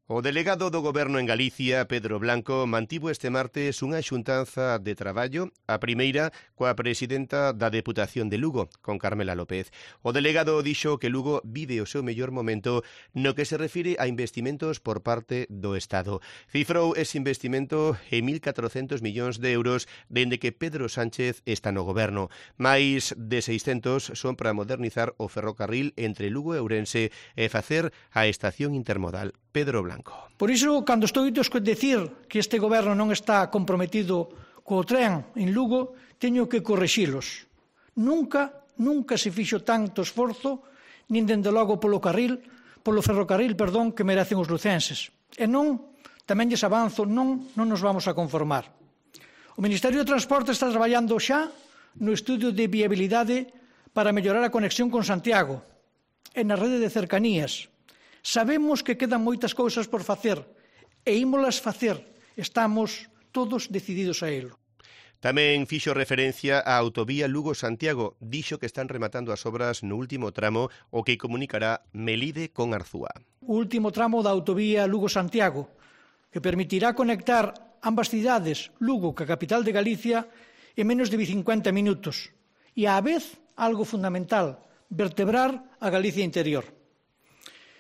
O delegado do Goberno en Galicia, Pedro Blanco, mantivo este martes unha xuntanza de traballo, a primeira coa presidenta da Deputación de Lugo, con Carmela López. O delegado dixo que Lugo vive o seu mellor momento no que se refire a investimentos por parte do Estado. Cifrou ese investimento en 1.400 millóns de euros dende que Pedro Sánchez está no Goberno. Mais de 600 son para modernizar o ferrocarril entre Lugo e Ourense e facer a estación intermodal. Pedro Blanco. Por iso, cando estou a dicir que este goberno non está comprometido co tren en Lugo, teño que correxilos. Nunca se fixo tanto esforzo, nin dende logo polo ferrocarril, que merecen os lucenses. E non, tamén lles avanzo, non nos vamos a conformar. O Ministerio de Transporte está traballando xa no estudio de viabilidade para mellorar a conexión con Santiago e na rede de cercanías. Sabemos que quedan moitas cousas por facer e ímolas facer. Estamos todos decididos a elo. Tamén fixo referencia á autovía Lugo-Santiago. Dixo que están rematando as obras no último tramo o que comunicará Melide con Arzúa. O último tramo da autovía Lugo-Santiago, que permitirá conectar ambas cidades, Lugo, que a capital de Galicia, en menos de 50 minutos. E á vez, algo fundamental, vertebrar a Galicia interior.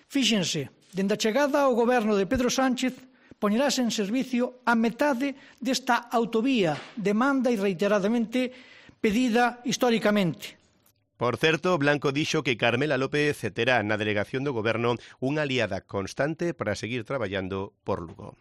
Fíxense, dende a chegada ao goberno de Pedro Sánchez, poñerase en servicio a metade desta autovía, demanda e reiteradamente pedida históricamente. Por certo, Blanco dixo que Carmela López terá na delegación do goberno unha aliada constante para seguir traballando por Lugo.